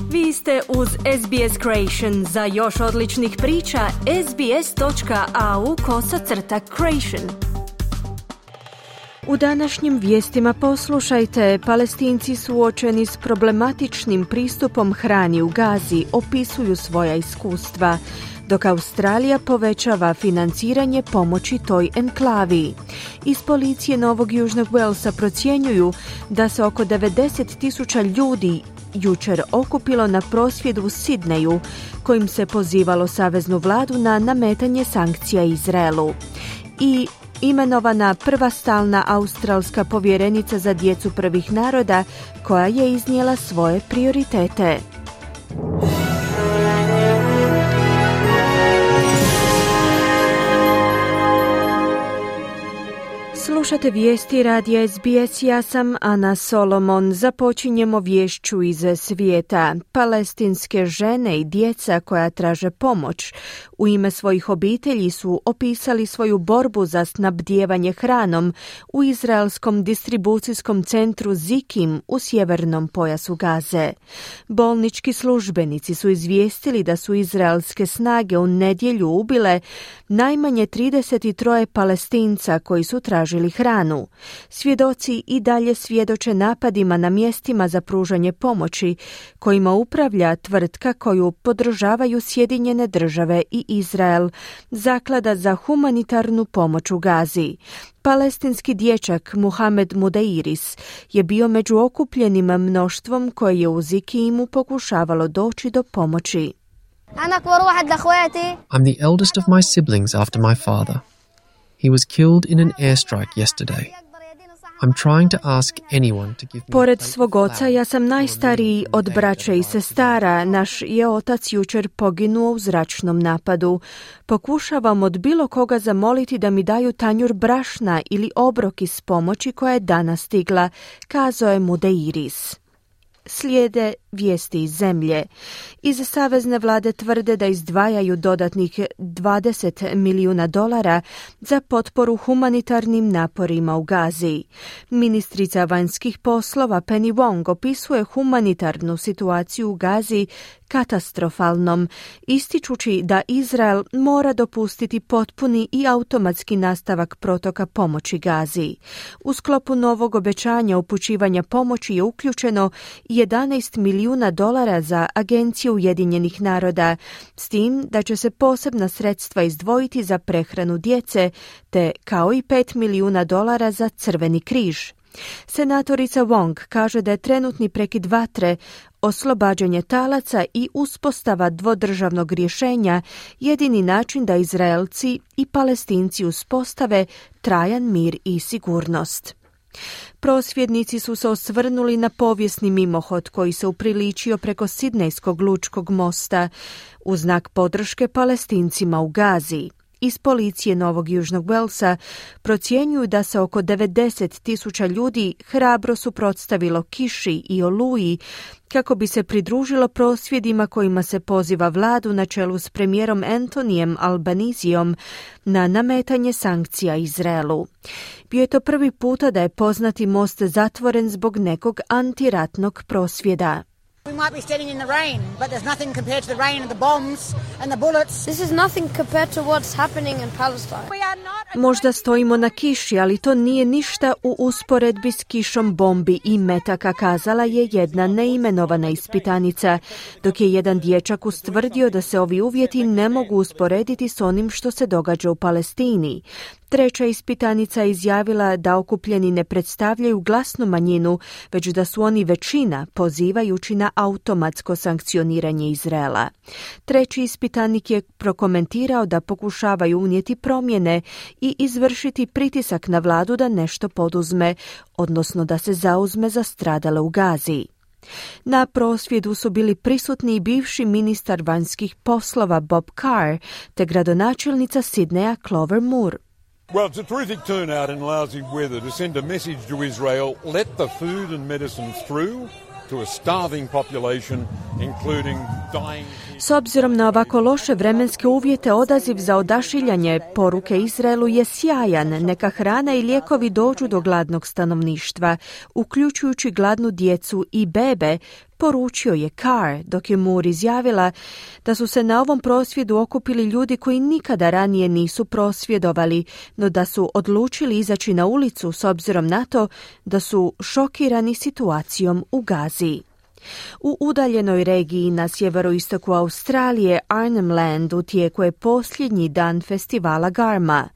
Vi ste uz SBS Creation. Za još odličnih priča, sbs.au/creation. U današnjim vijestima poslušajte, Palestinci suočeni s problematičnim pristupom hrani u Gazi opisuju svoja iskustva, dok Australija povećava financiranje pomoći toj enklavi. Iz policije Novog Južnog Walesa procjenjuju da se oko 90,000 ljudi jučer okupilo na prosvjedu u Sidneju, kojim se pozivalo saveznu vladu na nametanje sankcija Izraelu. I imenovana prva stalna australska povjerenica za djecu prvih naroda, koja je iznijela svoje prioritete. Slušate vijesti radija SBS, ja sam Ana Solomon. Započinjemo vješću iz svijeta. Palestinske žene i djeca koja traže pomoć u ime svojih obitelji su opisali svoju borbu za snabdijevanje hranom u izraelskom distribucijskom centru Zikim u sjevernom pojasu Gaze. Bolnički službenici su izvijestili da su izraelske snage u nedjelju ubile najmanje 33 Palestinca koji su tražili hranu. Svjedoci i dalje svjedoče napadima na mjestima za pružanje pomoći, kojima upravlja tvrtka koju podržavaju Sjedinjene države i Izrael, Zaklada za humanitarnu pomoć u Gazi. Palestinski dječak Muhamed Mudeiris je bio među okupljenim mnoštvom koje je u Zikimu pokušavalo doći do pomoći. I'm the eldest of my siblings after my father. He was killed in an airstrike yesterday. I'm trying to ask anyone to give me... Pored svog oca, ja sam najstariji od braće i sestara. Naš je otac jučer poginuo u zračnom napadu. Pokušavam od bilo koga zamoliti da mi daju tanjur brašna ili obrok iz pomoći koja je danas stigla, kazao je Mudeiris. Slijede vijesti iz zemlje. Iz savezne vlade tvrde da izdvajaju dodatnih $20 milijuna za potporu humanitarnim naporima u Gazi. Ministrica vanjskih poslova Penny Wong opisuje humanitarnu situaciju u Gazi katastrofalnom, ističući da Izrael mora dopustiti potpuni i automatski nastavak protoka pomoći Gazi. U sklopu novog obećanja upućivanja pomoći je uključeno $11 milijuna za Agenciju Ujedinjenih naroda, s tim da će se posebna sredstva izdvojiti za prehranu djece, te kao i $5 milijuna za Crveni križ. Senatorica Wong kaže da je trenutni prekid vatre, oslobađanje talaca i uspostava dvodržavnog rješenja jedini način da Izraelci i Palestinci uspostave trajan mir i sigurnost. Prosvjednici su se osvrnuli na povijesni mimohod koji se upriličio preko Sidnejskog lučkog mosta u znak podrške Palestincima u Gazi. Iz policije Novog Južnog Walesa procjenjuju da se oko 90,000 ljudi hrabro suprotstavilo kiši i oluji kako bi se pridružilo prosvjedima kojima se poziva vladu na čelu s premijerom Antonijem Albanizijom na nametanje sankcija Izraelu. Bio je to prvi puta da je poznati most zatvoren zbog nekog antiratnog prosvjeda. We might be standing in the rain, but there's nothing compared to the rain and the bombs and the bullets. This is nothing compared to what's happening in Palestine. Možda stojimo na kiši, ali to nije ništa u usporedbi s kišom bombi i metaka, kazala je jedna neimenovana ispitanica, dok je jedan dječak ustvrdio da se ovi uvjeti ne mogu usporediti s onim što se događa u Palestini. Treća ispitanica izjavila da okupljeni ne predstavljaju glasnu manjinu, već da su oni većina, pozivajući na automatsko sankcioniranje Izraela. Treći ispitanik je prokomentirao da pokušavaju unijeti promjene i izvršiti pritisak na vladu da nešto poduzme, odnosno da se zauzme za stradale u Gazi. Na prosvjedu su bili prisutni i bivši ministar vanjskih poslova Bob Carr te gradonačelnica Sidneja Clover Moore. Well, it's a terrific turnout in lousy weather to send a message to Israel, let the food and medicine through to a starving population including dying. S obzirom na ovako loše vremenske uvjete, odaziv za odašiljanje poruke Izraelu je sjajan. Neka hrana i lijekovi dođu do gladnog stanovništva, uključujući gladnu djecu i bebe, poručio je Carr, dok je Moore izjavila da su se na ovom prosvjedu okupili ljudi koji nikada ranije nisu prosvjedovali, no da su odlučili izaći na ulicu s obzirom na to da su šokirani situacijom u Gazi. U udaljenoj regiji na sjeveroistoku Australije, Arnhem Land, u tijeku je posljednji dan festivala Garma.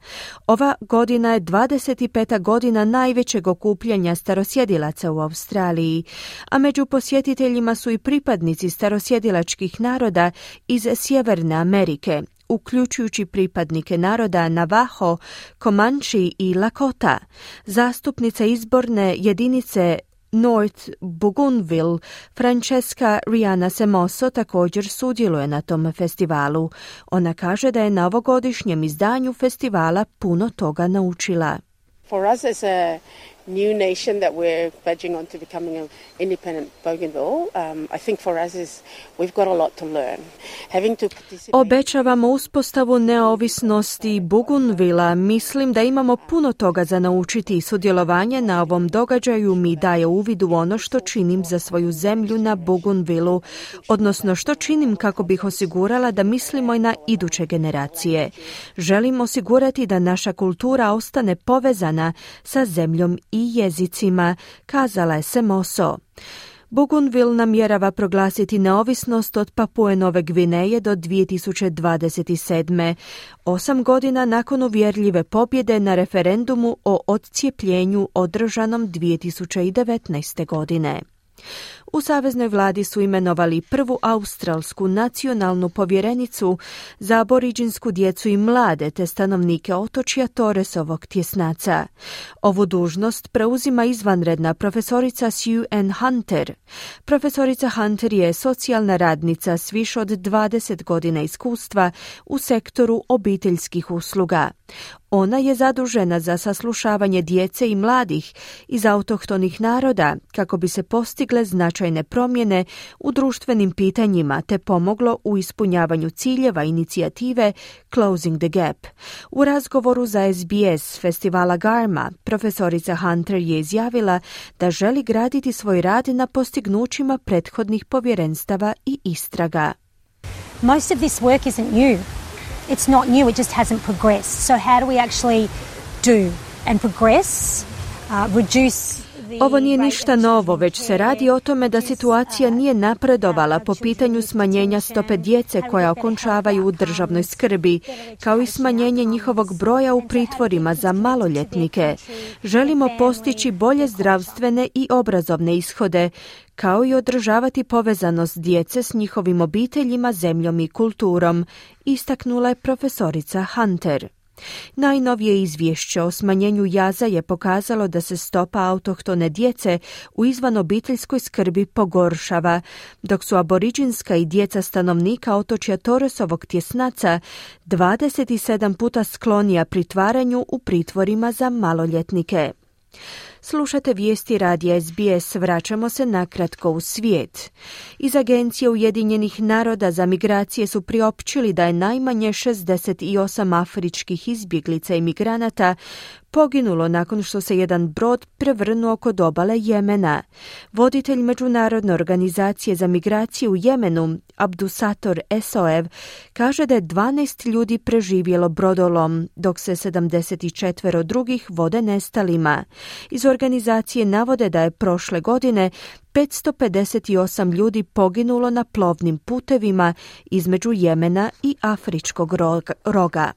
Ova godina je 25. godina najvećeg okupljanja starosjedilaca u Australiji, a među posjetiteljima su i pripadnici starosjedilačkih naroda iz Sjeverne Amerike, uključujući pripadnike naroda Navajo, Comanche i Lakota. Zastupnica izborne jedinice North Bougainville, Francesca Rihanna Semoso, također sudjeluje na tom festivalu. Ona kaže da je na ovogodišnjem izdanju festivala puno toga naučila. For us as a new nation that we're verging on to becoming an independent Bougainville, I think for us we've got a lot to learn. Having to participate... Obećavamo uspostavu neovisnosti Bougainvillea. Mislim da imamo puno toga za naučiti i sudjelovanje na ovom događaju mi daje uvid u ono što činim za svoju zemlju na Bougainvilleu, odnosno što činim kako bih osigurala da mislimo i na iduće generacije. Želim osigurati da naša kultura ostane povezana sa zemljom i jezicima, kazala je Semoso. Bougainville namjerava proglasiti neovisnost od Papue Nove Gvineje do 2027. 8 godina nakon uvjerljive pobjede na referendumu o odcijepljenju održanom 2019. godine. U saveznoj vladi su imenovali prvu australsku nacionalnu povjerenicu za aboriđinsku djecu i mlade te stanovnike otočja Torresovog tjesnaca. Ovu dužnost preuzima izvanredna profesorica Sue Ann Hunter. Profesorica Hunter je socijalna radnica s više od 20 godina iskustva u sektoru obiteljskih usluga. Ona je zadužena za saslušavanje djece i mladih iz autohtonih naroda kako bi se postigle značajne promjene u društvenim pitanjima te pomoglo u ispunjavanju ciljeva inicijative Closing the Gap. U razgovoru za SBS festivala Garma, profesorica Hunter je izjavila da želi graditi svoj rad na postignućima prethodnih povjerenstava i istraga. Most of this work isn't new. It's not new, it just hasn't progressed. So how do we actually do and progress, reduce... Ovo nije ništa novo, već se radi o tome da situacija nije napredovala po pitanju smanjenja stope djece koja okončavaju u državnoj skrbi, kao i smanjenje njihovog broja u pritvorima za maloljetnike. Želimo postići bolje zdravstvene i obrazovne ishode, kao i održavati povezanost djece s njihovim obiteljima, zemljom i kulturom, istaknula je profesorica Hunter. Najnovije izvješće o smanjenju jaza je pokazalo da se stopa autohtone djece u izvanobiteljskoj skrbi pogoršava, dok su aboriđinska i djeca stanovnika otočja Torresovog tjesnaca 27 puta sklonija pritvaranju u pritvorima za maloljetnike. Slušate vijesti radija SBS, vraćamo se nakratko u svijet. Iz Agencije Ujedinjenih naroda za migracije su priopćili da je najmanje 68 afričkih izbjeglica i migranata poginulo nakon što se jedan brod prevrnuo kod obale Jemena. Voditelj Međunarodne organizacije za migracije u Jemenu, Abdusator Esoev, kaže da je 12 ljudi preživjelo brodolom, dok se 74 drugih vode nestalima. Iz organizacije navode da je prošle godine 558 ljudi poginulo na plovnim putevima između Jemena i Afričkog roga.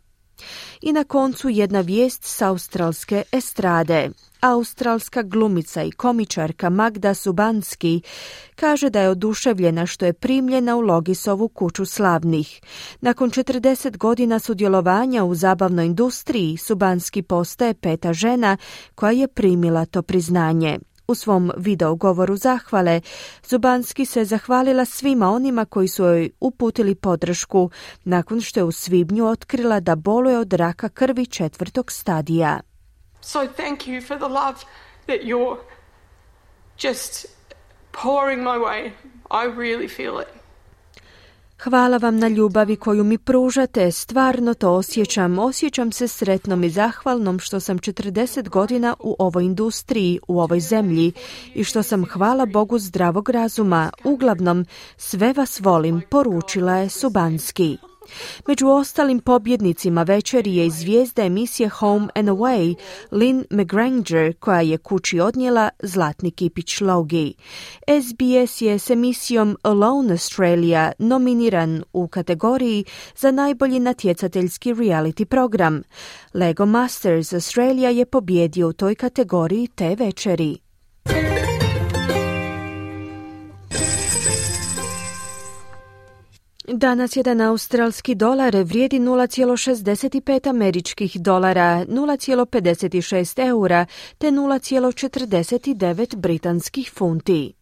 I na koncu jedna vijest s australske estrade. Australska glumica i komičarka Magda Subanski kaže da je oduševljena što je primljena u Logisovu kuću slavnih. Nakon 40 godina sudjelovanja u zabavnoj industriji, Subanski postaje 5. žena koja je primila to priznanje. U svom video govoru zahvale, Zubanski se zahvalila svima onima koji su joj uputili podršku nakon što je u svibnju otkrila da boluje od raka krvi 4. stadija. So thank you for the love that you're just pouring my way I really feel it. Hvala vam na ljubavi koju mi pružate, stvarno to osjećam. Osjećam se sretnom i zahvalnom što sam 40 godina u ovoj industriji, u ovoj zemlji i što sam, hvala Bogu, zdravog razuma. Uglavnom, sve vas volim, poručila je Subanski. Među ostalim pobjednicima večeri je i zvijezda emisije Home and Away, Lynn McGranger, koja je kući odnijela zlatni kipić Logie. SBS je s emisijom Alone Australia nominiran u kategoriji za najbolji natjecateljski reality program. Lego Masters Australia je pobjedio u toj kategoriji te večeri. Danas jedan australski dolar vrijedi 0,65 američkih dolara, 0,56 eura te 0,49 britanskih funti.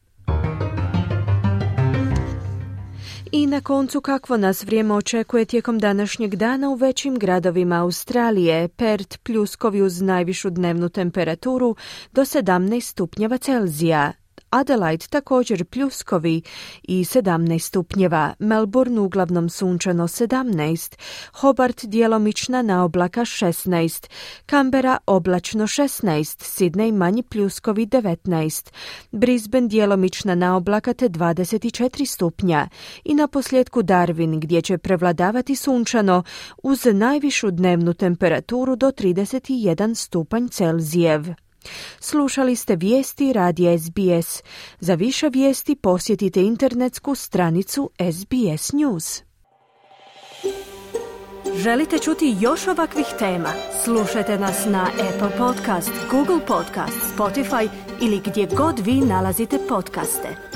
I na koncu, kakvo nas vrijeme očekuje tijekom današnjeg dana u većim gradovima Australije. Perth pljuskovi uz najvišu dnevnu temperaturu do 17 stupnjeva Celzija. Adelaide također pljuskovi i 17 stupnjeva, Melbourne uglavnom sunčano 17, Hobart djelomična naoblaka 16, Canberra oblačno 16, Sydney manji pljuskovi 19, Brisbane djelomična naoblaka te 24 stupnja i na posljedku Darwin gdje će prevladavati sunčano uz najvišu dnevnu temperaturu do 31 stupanj Celzijev. Slušali ste vijesti radija SBS. Za više vijesti posjetite internetsku stranicu SBS News. Želite čuti još ovakvih tema? Slušajte nas na Apple Podcast, Google Podcast, Spotify ili gdje god vi nalazite podcaste.